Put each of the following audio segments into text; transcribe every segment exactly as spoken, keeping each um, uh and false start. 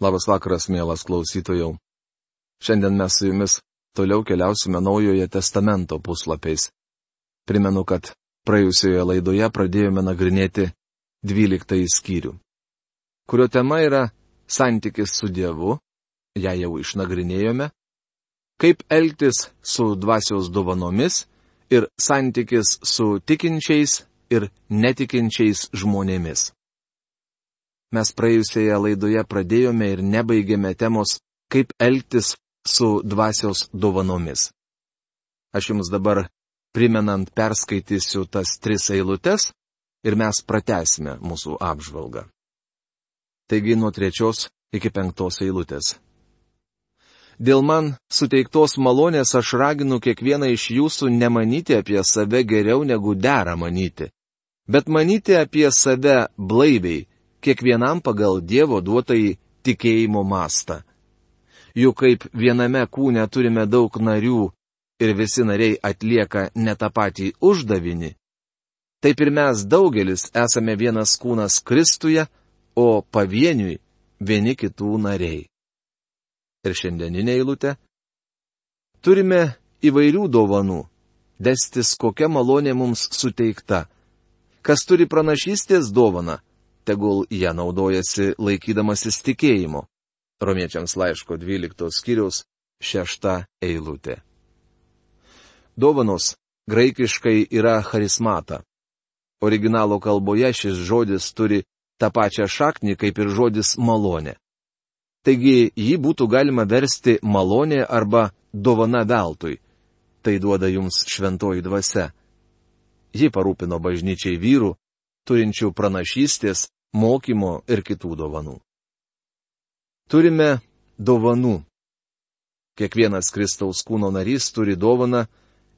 Labas vakaras, mielas klausytojau. Šiandien mes su jumis toliau keliausime Naujojo testamento puslapiais. Primenu, kad praėjusioje laidoje pradėjome nagrinėti dvyliktąjį skyrių, kurio tema yra santykis su Dievu, ją jau išnagrinėjome, kaip elgtis su dvasios dovanomis ir santykis su tikinčiais ir netikinčiais žmonėmis. Mes praėjusioje laidoje pradėjome ir nebaigėme temos, kaip elgtis su dvasios dovanomis. Aš jums dabar primenant perskaitysiu tas tris eilutes ir mes pratęsime mūsų apžvalgą. Taigi nuo trečios iki penktos eilutės. Dėl man suteiktos malonės aš raginu kiekvieną iš jūsų nemanyti apie save geriau negu dera manyti, bet manyti apie save blaiviai, kiekvienam pagal Dievo duotąjį tikėjimo mastą. Juk kaip viename kūne turime daug narių ir visi nariai atlieka ne tą patį uždavinį, taip ir mes daugelis esame vienas kūnas Kristuje, o pavieniui vieni kitų nariai. Ir šiandieninė eilutė. Turime įvairių dovanų, destis kokia malonė mums suteikta. Kas turi pranašystės dovaną, tegul ją naudojasi laikydamasis tikėjimo. Romiečiams laiško dvyliktos skyriaus šešta eilutė. Dovanos graikiškai yra charismata. Originalo kalboje šis žodis turi tą pačią šaknį kaip ir žodis malonė. Taigi jį būtų galima versti malonė arba dovana veltui. Tai duoda jums šventoji dvasia. Ji parūpino bažnyčiai vyrų, turinčių pranašystės, mokymo ir kitų dovanų. Turime dovanų. Kiekvienas Kristaus kūno narys turi dovaną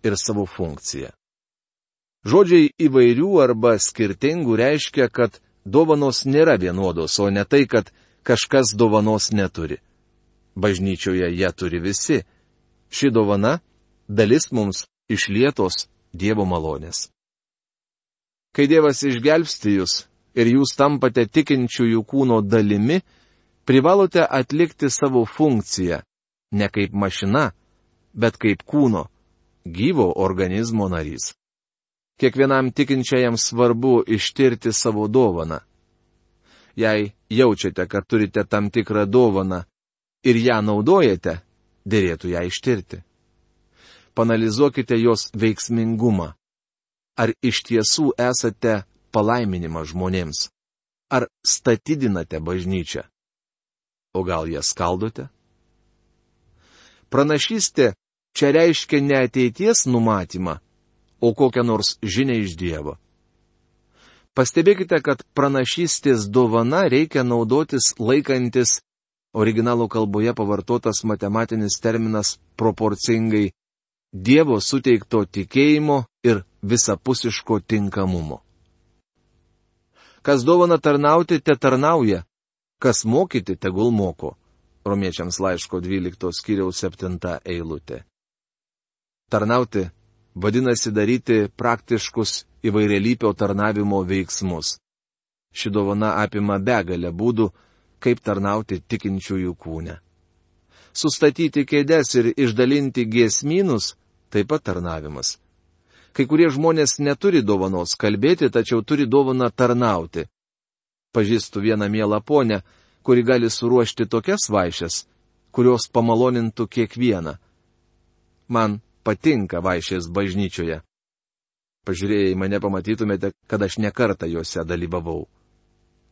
ir savo funkciją. Žodžiai įvairių arba skirtingų reiškia, kad dovanos nėra vienodos, o ne tai, kad kažkas dovanos neturi. Bažnyčioje ją turi visi. Ši dovana – dalis mums išlietos Dievo malonės. Kai Dievas išgelbsti jūs ir jūs tampate tikinčiųjų kūno dalimi, privalote atlikti savo funkciją, ne kaip mašina, bet kaip kūno, gyvo organizmo narys. Kiekvienam tikinčiajam svarbu ištirti savo dovaną. Jei jaučiate, kad turite tam tikrą dovaną ir ją naudojate, dėrėtų ją ištirti. Panalizuokite jos veiksmingumą. Ar iš tiesų esate palaiminimas žmonėms? Ar statydinate bažnyčią? O gal ją skaldote? Pranašystė čia reiškia ne ateities numatymą, o kokią nors žinią iš Dievo. Pastebėkite, kad pranašystės dovana reikia naudotis laikantis originalo kalboje pavartotas matematinis terminas proporcingai Dievo suteikto tikėjimo ir visapusiško tinkamumo. Kas dovana tarnauti, te tarnauja, kas mokyti, tegul moko. Romiečiams laiško dvyliktos skyriaus septinta eilutė. Tarnauti vadinasi daryti praktiškus įvairialypio tarnavimo veiksmus. Ši dovana apima begalę būdų, kaip tarnauti tikinčiųjų kūne. Sustatyti kėdes ir išdalinti giesmynus – taip pat tarnavimas. Kai kurie žmonės neturi dovanos kalbėti, tačiau turi dovaną tarnauti. Pažįstu vieną mielą ponę, kuri gali suruošti tokias vaišes, kurios pamalonintų kiekvieną. Man patinka vaišės bažnyčioje. Pažiūrėję į mane pamatytumėte, kad aš nekartą juose dalyvavau.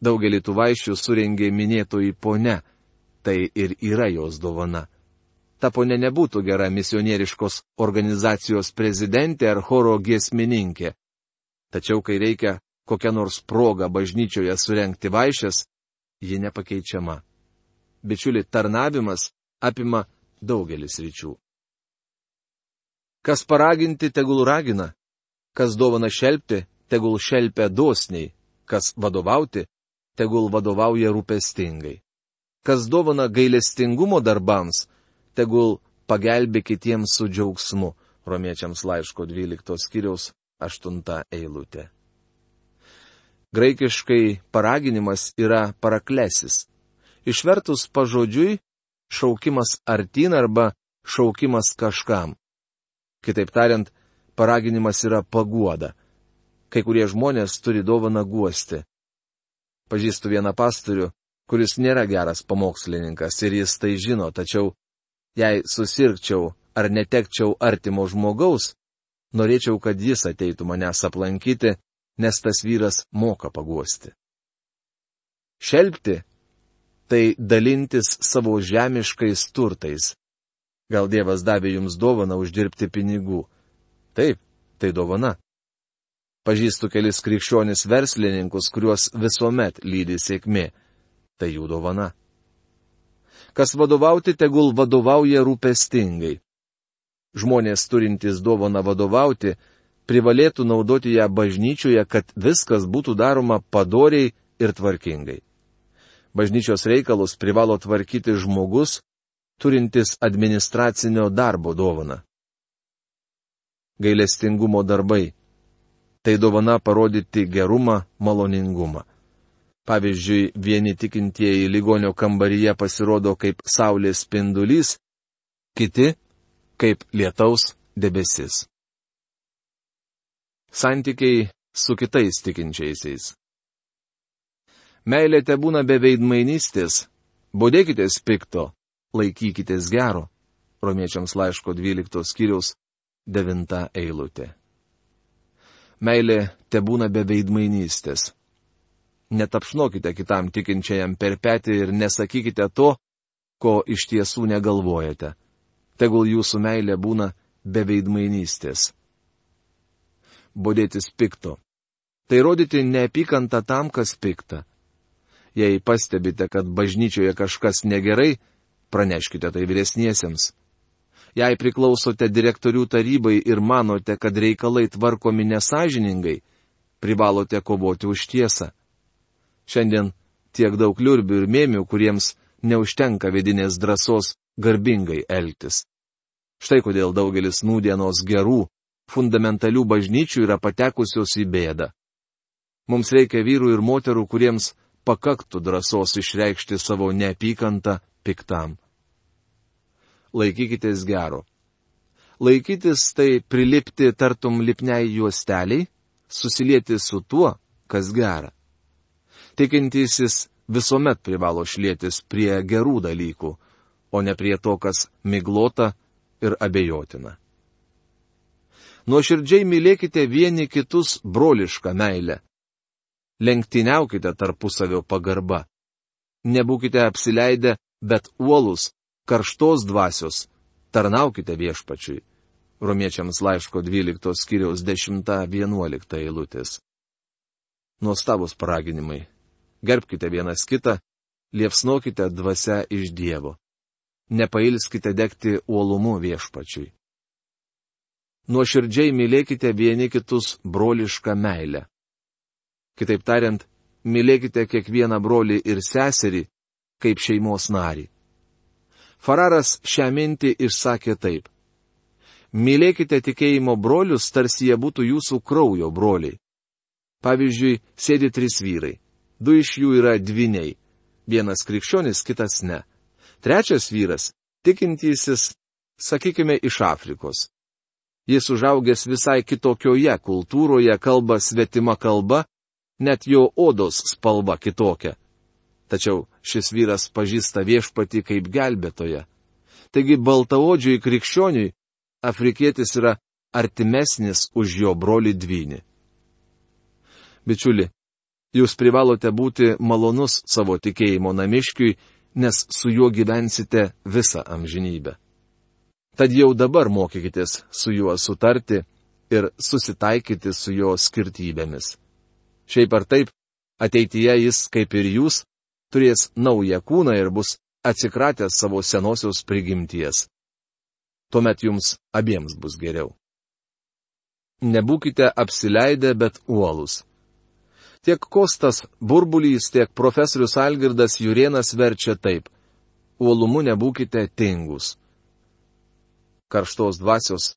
Daugelį tų vaišių surengė minėtoji ponia, tai ir yra jos dovana. Ta ponia nebūtų gera misionieriškos organizacijos prezidentė ar choro giesmininkė. Tačiau, kai reikia kokią nors progą bažnyčioje surengti vaišes, ji nepakeičiama. Bičiuli, tarnavimas apima daugelis ryčių. Kas paraginti, tegul ragina. Kas dovana šelpti, tegul šelpia dosniai. Kas vadovauti, tegul vadovauja rūpestingai. Kas dovana gailestingumo darbams, tegul pagelbė kitiems su džiaugsmu. Romiečiams laiško dvyliktos skyriaus aštunta eilutė. Graikiškai paraginimas yra paraklesis. Išvertus pažodžiui, šaukimas artin arba šaukimas kažkam. Kitaip tariant, paraginimas yra paguoda. Kai kurie žmonės turi dovaną guosti. Pažįstu vieną pastorių, kuris nėra geras pamokslininkas ir jis tai žino, tačiau jei susirgčiau ar netekčiau artimo žmogaus, norėčiau, kad jis ateitų manęs aplankyti, nes tas vyras moka paguosti. Šelpti – tai dalintis savo žemiškais turtais. Gal Dievas davė jums dovaną uždirbti pinigų. Taip, tai dovana. Pažįstu kelis krikščionis verslininkus, kuriuos visuomet lydi sėkmė. Tai jų dovana. Kas vadovauti, tegul vadovauja rūpestingai. Žmonės turintys dovaną vadovauti, privalėtų naudoti ją bažnyčioje, kad viskas būtų daroma padoriai ir tvarkingai. Bažnyčios reikalus privalo tvarkyti žmogus, turintis administracinio darbo dovaną. Gailestingumo darbai. Tai dovana parodyti gerumą, maloningumą. Pavyzdžiui, vieni tikintieji ligonio kambaryje pasirodo kaip saulės spindulys, kiti kaip lietaus debesis. Santykiai su kitais tikinčiaisiais. Meilė tebūna be veidmainystės, bodėkitės pikto, laikykitės gero. Romiečiams laiško dvyliktos skyriaus devinta eilutė. Meilė tebūna be veidmainystės. Netapšnokite kitam tikinčiajam per petį ir nesakykite to, ko iš tiesų negalvojate. Tegul jūsų meilė būna be veidmainystės. Bodėtis pikto. Tai rodyti neapykantą tam, kas pikta. Jei pastebite, kad bažnyčioje kažkas negerai, praneškite tai vyresniesiems. Jei priklausote direktorių tarybai ir manote, kad reikalai tvarkomi nesąžiningai, privalote kovoti už tiesą. Šiandien tiek daug liurbių ir mėmių, kuriems neužtenka vidinės drąsos garbingai elgtis. Štai kodėl daugelis nūdienos gerų, fundamentalių bažnyčių yra patekusios į bėdą. Mums reikia vyrų ir moterų, kuriems pakaktų drąsos išreikšti savo neapykantą piktam. Laikykitės gero. Laikytis tai prilipti tartum lipniai juosteliai, susilieti su tuo, kas gera. Tikintysis visuomet privalo šlietis prie gerų dalykų, o ne prie to, kas miglota ir abejotina. Nuoširdžiai mylėkite vieni kitus brolišką meilę. Lenktyniaukite tarpusavio pagarba. Nebūkite apsileidę, bet uolus, karštos dvasios, tarnaukite viešpačiui. Romiečiams laiško dvyliktos skyriaus dešimta vienuolikta eilutės. Nuostabus paraginimai. Gerbkite vienas kitą, liepsnokite dvasia iš Dievo. Nepailskite degti uolumu viešpačiui. Nuoširdžiai mylėkite vieni kitus brolišką meilę. Kitaip tariant, mylėkite kiekvieną brolį ir seserį, kaip šeimos narį. Fararas šią mintį išsakė taip. Mylėkite tikėjimo brolius, tarsi jie būtų jūsų kraujo broliai. Pavyzdžiui, sėdi trys vyrai. Du iš jų yra dvyniai. Vienas krikščionis, kitas ne. Trečias vyras, tikintysis, sakykime, iš Afrikos. Jis užaugęs visai kitokioje kultūroje, kalba svetima kalba, net jo odos spalva kitokia. Tačiau šis vyras pažįsta viešpatį kaip gelbėtoją. Taigi baltaodžiui krikščioniui afrikietis yra artimesnis už jo brolį dvynį. Bičiuli, jūs privalote būti malonus savo tikėjimo namiškiui, nes su juo gyvensite visą amžinybę. Tad jau dabar mokykitės su juo sutarti ir susitaikyti su jo skirtybėmis. Šiaip ar taip, ateityje jis, kaip ir jūs, turės naują kūną ir bus atsikratęs savo senosios prigimties. Tuomet jums abiems bus geriau. Nebūkite apsileidę, bet uolus. Tiek Kostas Burbulys, tiek profesorius Algirdas Jurėnas verčia taip. Uolumu nebūkite tingus. Karštos dvasios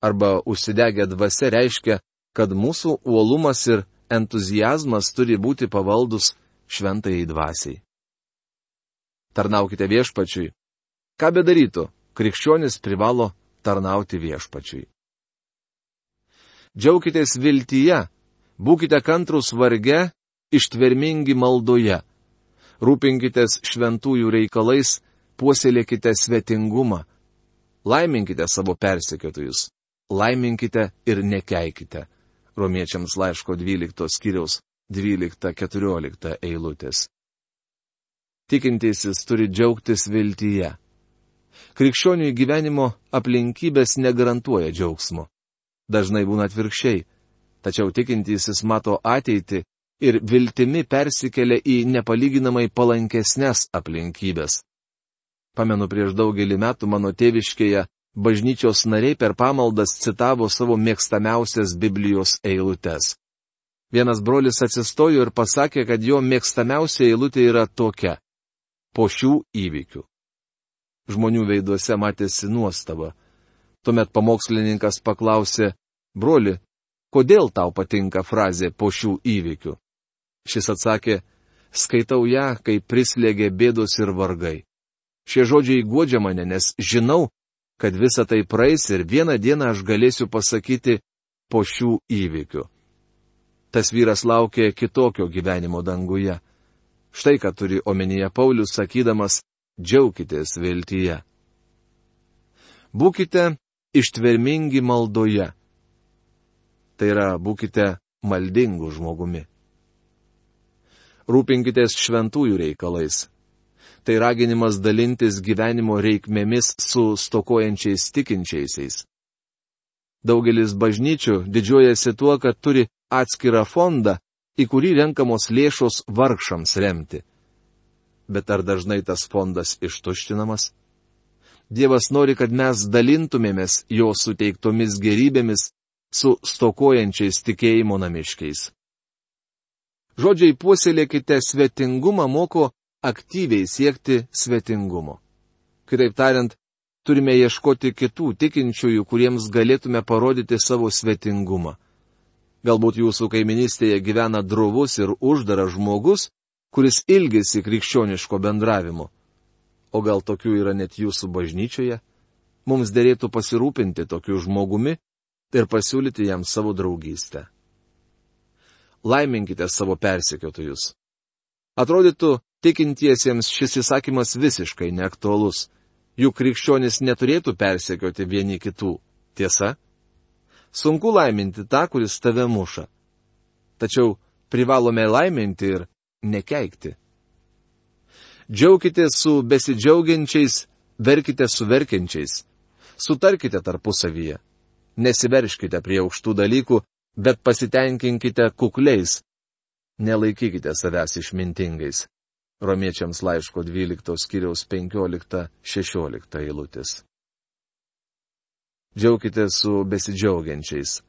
arba užsidegę dvasia reiškia, kad mūsų uolumas ir entuziazmas turi būti pavaldus šventajai dvasiai. tarnaukite viešpačiui. Ką bedarytų, krikščionis privalo tarnauti viešpačiui. Džiaukitės viltyje, būkite kantrūs varge, ištvermingi maldoje. Rūpinkitės šventųjų reikalais, puoselėkite svetingumą. Laiminkite savo persekiotojus. Laiminkite ir nekeikite. Romiečiams laiško dvyliktos skyriaus dvylikta keturiolikta eilutės. Tikintysis turi džiaugtis viltyje. Krikščionių gyvenimo aplinkybės negarantuoja džiaugsmo. Dažnai būna atvirkščiai, tačiau tikintysis mato ateitį ir viltimi persikelia į nepalyginamai palankesnės aplinkybės. Pamenu, prieš daugelį metų mano tėviškėje bažnyčios nariai per pamaldas citavo savo mėgstamiausias Biblijos eilutes. Vienas brolis atsistojo ir pasakė, kad jo mėgstamiausia eilutė yra tokia: po šių įvykių. Žmonių veiduose matėsi nuostaba. Tuomet pamokslininkas paklausė: broli, kodėl tau patinka frazė po šių įvykių? Šis atsakė: skaitau ją, kai prislėgė bėdos ir vargai. Šie žodžiai guodžia mane, nes žinau, kad visa tai praeis ir vieną dieną aš galėsiu pasakyti po šių įvykių. Tas vyras laukė kitokio gyvenimo danguje. Štai ką turi omenyje Paulius, sakydamas: džiaukitės viltyje. Būkite ištvermingi maldoje. Tai yra, būkite maldingų žmogumi. Rūpinkitės šventųjų reikalais. Tai raginimas dalintis gyvenimo reikmėmis su stokojančiais tikinčiaisiais. Daugelis bažnyčių didžiuojasi tuo, kad turi atskirą fondą, į kurį renkamos lėšos vargšams remti. Bet ar dažnai tas fondas ištuštinamas? Dievas nori, kad mes dalintumėmės jo suteiktomis gerybėmis su stokojančiais tikėjimo namiškiais. Žodžiai puoselėkite svetingumą moko aktyviai siekti svetingumo. Kitaip tariant, turime ieškoti kitų tikinčiųjų, kuriems galėtume parodyti savo svetingumą. Galbūt jūsų kaiminystėje gyvena drovus ir uždaras žmogus, kuris ilgisi krikščioniško bendravimo. O gal tokių yra net jūsų bažnyčioje? Mums derėtų pasirūpinti tokiu žmogumi ir pasiūlyti jam savo draugystę. Laiminkite savo persekiotojus. Atrodytų, tikintiesiems šis įsakymas visiškai neaktualus. Juk krikščionis neturėtų persekioti vieni kitų. Tiesa? Sunku laiminti tą, kuris tave muša. Tačiau privalome laiminti ir nekeikti. Džiaukite su besidžiaugiančiais, verkite su verkiančiais. Sutarkite tarpusavyje. Nesiverškite prie aukštų dalykų, bet pasitenkinkite kukliais. Nelaikykite savęs išmintingais. Romiečiams laiško dvyliktos skyriaus penkiolikta šešiolikta eilutės. Džiaukite su besidžiaugiančiais.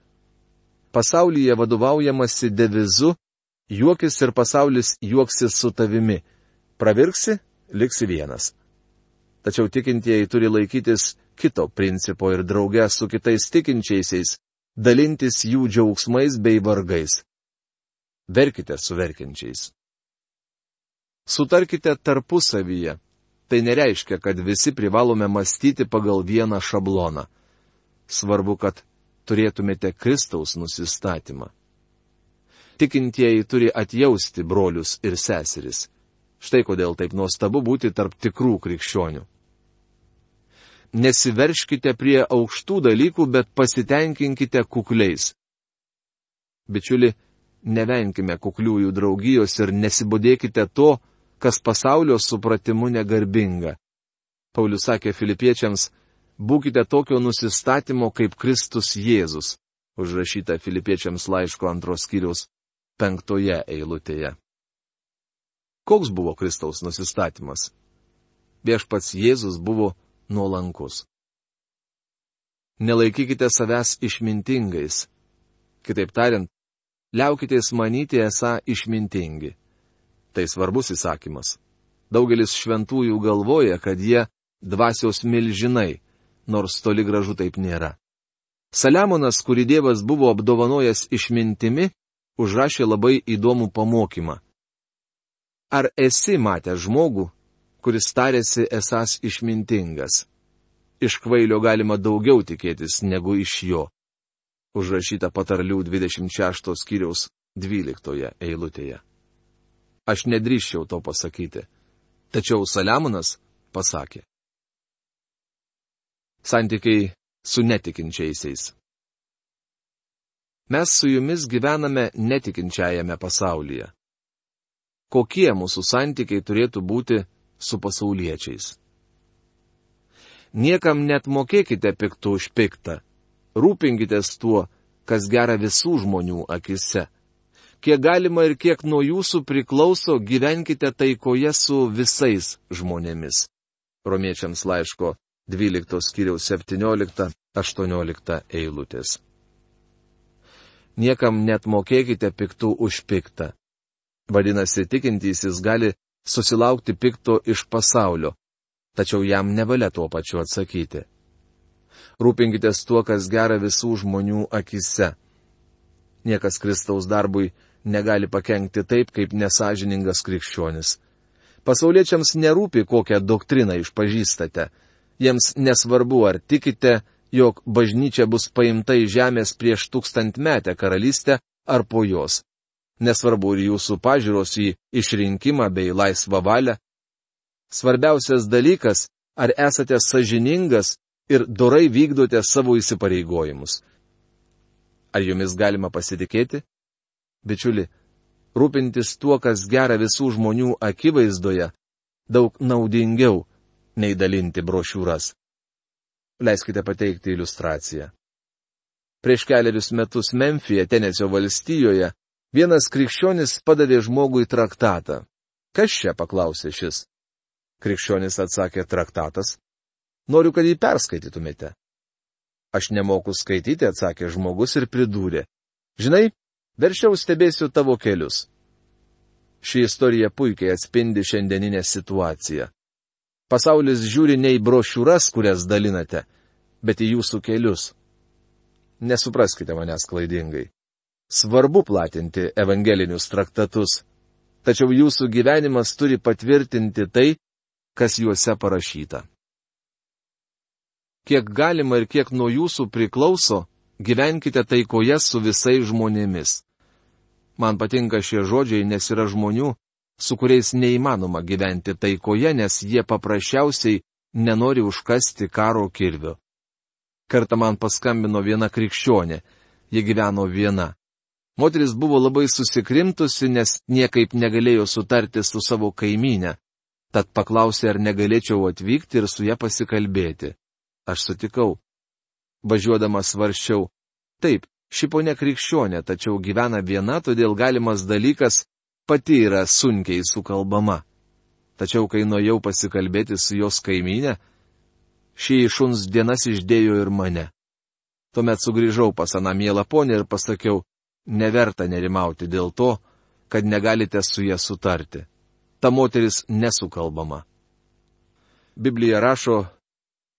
Pasaulyje vadovaujamasi devizu: juokis ir pasaulis juoksis su tavimi. Pravirksi, liksi vienas. Tačiau tikintieji turi laikytis kito principo ir drauge su kitais tikinčiaisiais dalintis jų džiaugsmais bei vargais. Verkite su verkiančiais. Sutarkite tarpusavyje. Tai nereiškia, kad visi privalome mąstyti pagal vieną šabloną. Svarbu, kad turėtumėte Kristaus nusistatymą. Tikintieji turi atjausti brolius ir seseris. Štai kodėl taip nuostabu būti tarp tikrų krikščionių. Nesiverškite prie aukštų dalykų, bet pasitenkinkite kukliais. Bičiuli, nevenkime kukliųjų draugijos ir nesibodėkite to, kas pasaulio supratimu negarbinga. Paulius sakė Filipiečiams: būkite tokio nusistatymo kaip Kristus Jėzus, užrašyta Filipiečiams laiško antros skyriaus penktoje eilutėje. Koks buvo Kristaus nusistatymas? Viešpats Jėzus buvo nuolankus. Nelaikykite savęs išmintingais. Kitaip tariant, liaukitės manyti esą išmintingi. Tai svarbus įsakymas. Daugelis šventųjų galvoja, kad jie dvasios milžinai, nors toli gražu taip nėra. Saliamonas, kurį Dievas buvo apdovanojęs išmintimi, užrašė labai įdomų pamokymą. Ar esi matęs žmogų, kuris tarėsi esąs išmintingas. Iš kvailio galima daugiau tikėtis negu iš jo. Užrašyta Patarlių dvidešimt šešto skyriaus dvyliktoje eilutėje. Aš nedrįsčiau to pasakyti. Tačiau Saliamonas pasakė. Santykiai su netikinčiaisiais. Mes su jumis gyvename netikinčiajame pasaulyje. Kokie mūsų santykiai turėtų būti su pasauliečiais? Niekam net mokėkite piktų už piktą. Rūpinkitės tuo, kas gera visų žmonių akise. Kiek galima ir kiek nuo jūsų priklauso, gyvenkite taikoje su visais žmonėmis. Romiečiams laiško dvyliktos skyriaus septyniolikta aštuoniolikta eilutės. Niekam net mokėkite piktų už piktą. Vadinasi, tikintysis gali susilaukti pikto iš pasaulio, tačiau jam nevalia tuo pačiu atsakyti. Rūpinkitės tuo, kas gera visų žmonių akise. Niekas Kristaus darbui negali pakenkti taip, kaip nesažiningas krikščionis. Pasauliečiams nerūpi, kokią doktriną išpažįstate. Jiems nesvarbu, ar tikite, jog bažnyčia bus paimta į žemės prieš tūkstantmetę karalystę ar po jos. Nesvarbu ir jūsų pažiūros į išrinkimą bei laisvą valią. Svarbiausias dalykas, ar esate sąžiningas ir dorai vykdote savo įsipareigojimus. Ar jumis galima pasitikėti? Bičiuli, rūpintis tuo, kas gera visų žmonių akivaizdoje, daug naudingiau nei dalinti brošiūras. Leiskite pateikti iliustraciją. Prieš keliarius metus Memfyje, Tenesio valstijoje, vienas krikščionis padavė žmogui traktatą. Kas čia, paklausė šis. Krikščionis atsakė, traktatas. Noriu, kad jį perskaitytumėte. Aš nemoku skaityti, atsakė žmogus ir pridūrė. Žinai, verčiau stebėsiu tavo kelius. Ši istorija puikiai atspindi šiandieninę situaciją. Pasaulis žiūri ne į brošiūras, kurias dalinate, bet į jūsų kelius. Nesupraskite manęs klaidingai. Svarbu platinti evangelinius traktatus, tačiau jūsų gyvenimas turi patvirtinti tai, kas juose parašyta. Kiek galima ir kiek nuo jūsų priklauso, gyvenkite taikoje su visais žmonėmis. Man patinka šie žodžiai, nes yra žmonių, su kuriais neįmanoma gyventi taikoje, nes jie paprasčiausiai nenori užkasti karo kirvio. Kartą man paskambino viena krikščionė, ji gyveno viena. Moteris buvo labai susikrimtusi, nes niekaip negalėjo sutarti su savo kaimynė, tad paklausė, ar negalėčiau atvykti ir su ja pasikalbėti. Aš sutikau. Važiuodamas svarsčiau, taip, ši ponia krikščionė, tačiau gyvena viena, todėl galimas dalykas pati yra sunkiai sukalbama. Tačiau kai nuėjau pasikalbėti su jos kaimynė, šį šuns dienas išdėjo ir mane. Tuomet sugrįžau pas aną mielą ponę ir pasakiau, neverta nerimauti dėl to, kad negalite su ja sutarti. Ta moteris nesukalbama. Biblija rašo,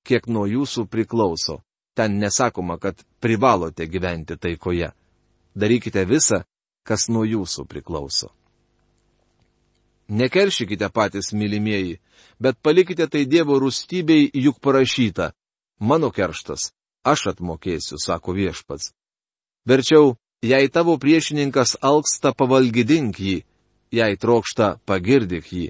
kiek nuo jūsų priklauso. Ten nesakoma, kad privalote gyventi taikoje. Darykite visą, kas nuo jūsų priklauso. Nekeršykite patys, mylimieji, bet palikite tai Dievo rūstybei, juk parašyta. Mano kerštas, aš atmokėsiu, sako viešpats. Verčiau, jei tavo priešininkas alksta, pavalgydink jį, jei trokšta, pagirdik jį.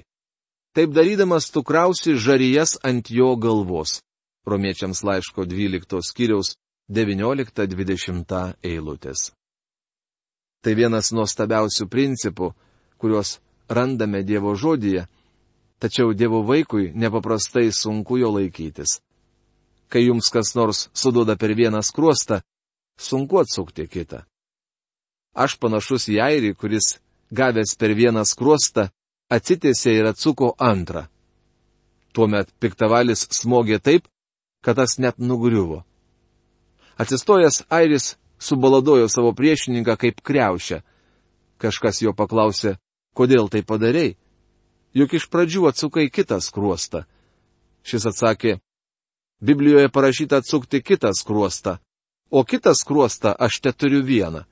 Taip darydamas tu krausi žarijas ant jo galvos. Romiečiams laiško dvyliktos skyriaus devyniolikta dvidešimta eilutės. Tai vienas nuostabiausių principų, kuriuos randame Dievo žodyje, tačiau Dievo vaikui nepaprastai sunku jo laikytis. Kai jums kas nors suduoda per vieną skruostą, sunku atsukti kitą. Aš panašus į airį, kuris, gavęs per vieną skruostą, atsitiesė ir atsuko antrą. Tuomet piktavalis smogė taip, kad tas net nugriuvo. Atsistojęs airis subaladojo savo priešininką kaip kriaušę. Kažkas jo paklausė, kodėl tai padarei? Juk iš pradžių atsukai kitą skruostą. Šis atsakė, Biblijoje parašyta atsukti kitą skruostą, o kitą skruostą aš te turiu vieną.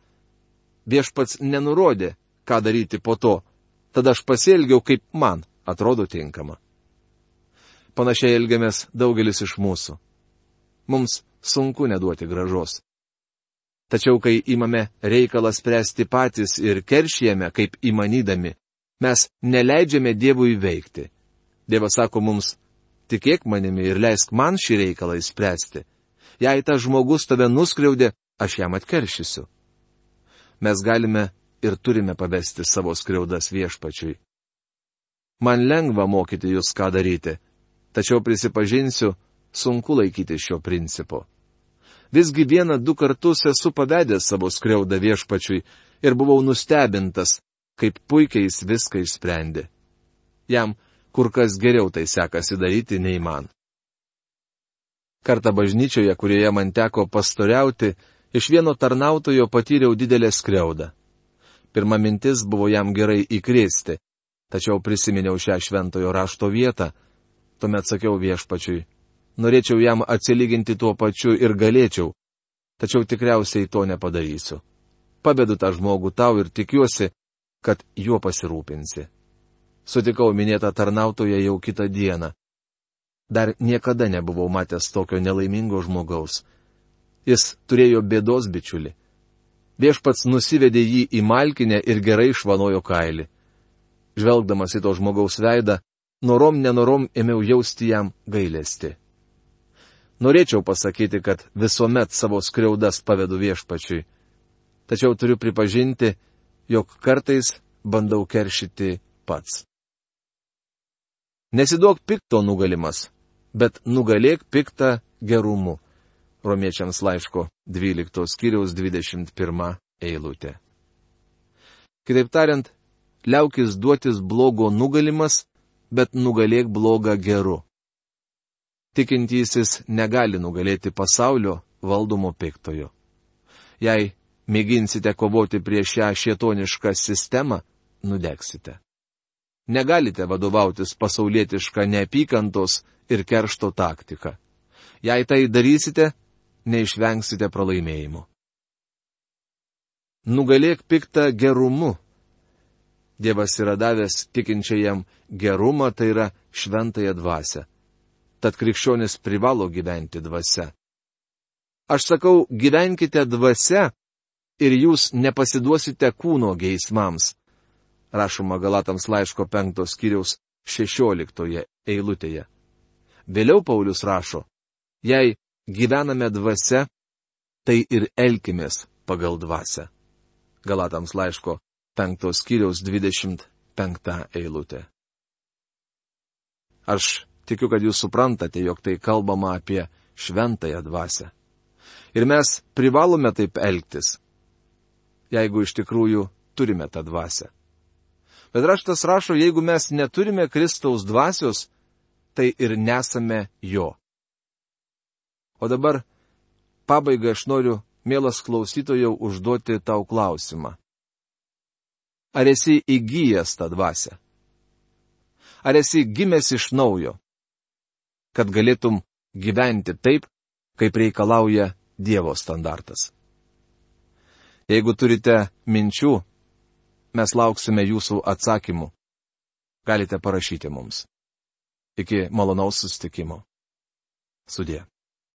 Viešpats nenurodė, ką daryti po to, tada aš pasielgiau, kaip man atrodo tinkama. Panašiai elgiamės daugelis iš mūsų. Mums sunku neduoti gražos. Tačiau, kai imame reikalą spręsti patys ir keršijame, kaip įmanydami, mes neleidžiame Dievui veikti. Dievas sako mums, tikėk manimi ir leisk man šį reikalą įspręsti. Jei tas žmogus tave nuskriaudė, aš jam atkeršysiu. Mes galime ir turime pavesti savo skriaudas Viešpačiui. Man lengva mokyti jūs, ką daryti, tačiau prisipažinsiu, sunku laikyti šio principo. Visgi vieną du kartus esu pavedęs savo skriaudą Viešpačiui ir buvau nustebintas, kaip puikiai jis viską išsprendė. Jam kur kas geriau tai sekasi daryti nei man. Kartą bažnyčioje, kurioje man teko pastoriauti, iš vieno tarnautojo patyriau didelę skriaudą. Pirma mintis buvo jam gerai įkrėsti, tačiau prisiminiau šią šventojo rašto vietą. Tuomet sakiau Viešpačiui, norėčiau jam atsilyginti tuo pačiu ir galėčiau, tačiau tikriausiai to nepadarysiu. Pavedu tą žmogų tau ir tikiuosi, kad juo pasirūpinsi. Sutikau minėtą tarnautoją jau kitą dieną. Dar niekada nebuvau matęs tokio nelaimingo žmogaus. Jis turėjo bėdos bičiulį. Viešpats nusivedė jį į malkinę ir gerai išvanojo kailį. Žvelgdamas į to žmogaus veidą, norom nenorom ėmiau jausti jam gailestį. Norėčiau pasakyti, kad visuomet savo skriaudas pavedu Viešpačiui. Tačiau turiu pripažinti, jog kartais bandau keršyti pats. Nesiduok pikto nugalimas, bet nugalėk piktą gerumu. Romiečiams laiško dvyliktos skyriaus dvidešimt pirma eilutė. Kitaip tariant, liaukis duotis blogo nugalimas, bet nugalėk blogą geru. Tikintysis negali nugalėti pasaulio valdomo piktojo. Jei mėginsite kovoti prieš šią šietonišką sistemą, nudegsite. Negalite vadovautis pasaulietišką neapykantos ir keršto taktiką. Jei tai darysite, neišvengsite pralaimėjimo. Nugalėk piktą gerumu. Dievas yra davęs tikinčiajam gerumą, tai yra šventąją dvasią. Tad krikščionis privalo gyventi dvasia. Aš sakau, gyvenkite dvasia ir jūs nepasiduosite kūno geismams. Rašoma Galatams laiško penktos skyriaus šešioliktoje eilutėje. Vėliau Paulius rašo, jei gyvename dvasia, tai ir elkimės pagal dvasią. Galatams laiško penktos skyriaus dvidešimt penkta eilutė. Aš tikiu, kad jūs suprantate, jog tai kalbama apie šventąją dvasią. Ir mes privalome taip elgtis, jeigu iš tikrųjų turime tą dvasią. Bet raštas rašo, jeigu mes neturime Kristaus dvasios, tai ir nesame jo. O dabar, pabaigai aš noriu, mielas klausytojau, užduoti tau klausimą. Ar esi įgyjęs tą dvasią? Ar esi gimęs iš naujo, kad galėtum gyventi taip, kaip reikalauja Dievo standartas? Jeigu turite minčių, mes lauksime jūsų atsakymų. Galite parašyti mums. Iki malonaus susitikimo. Sudie.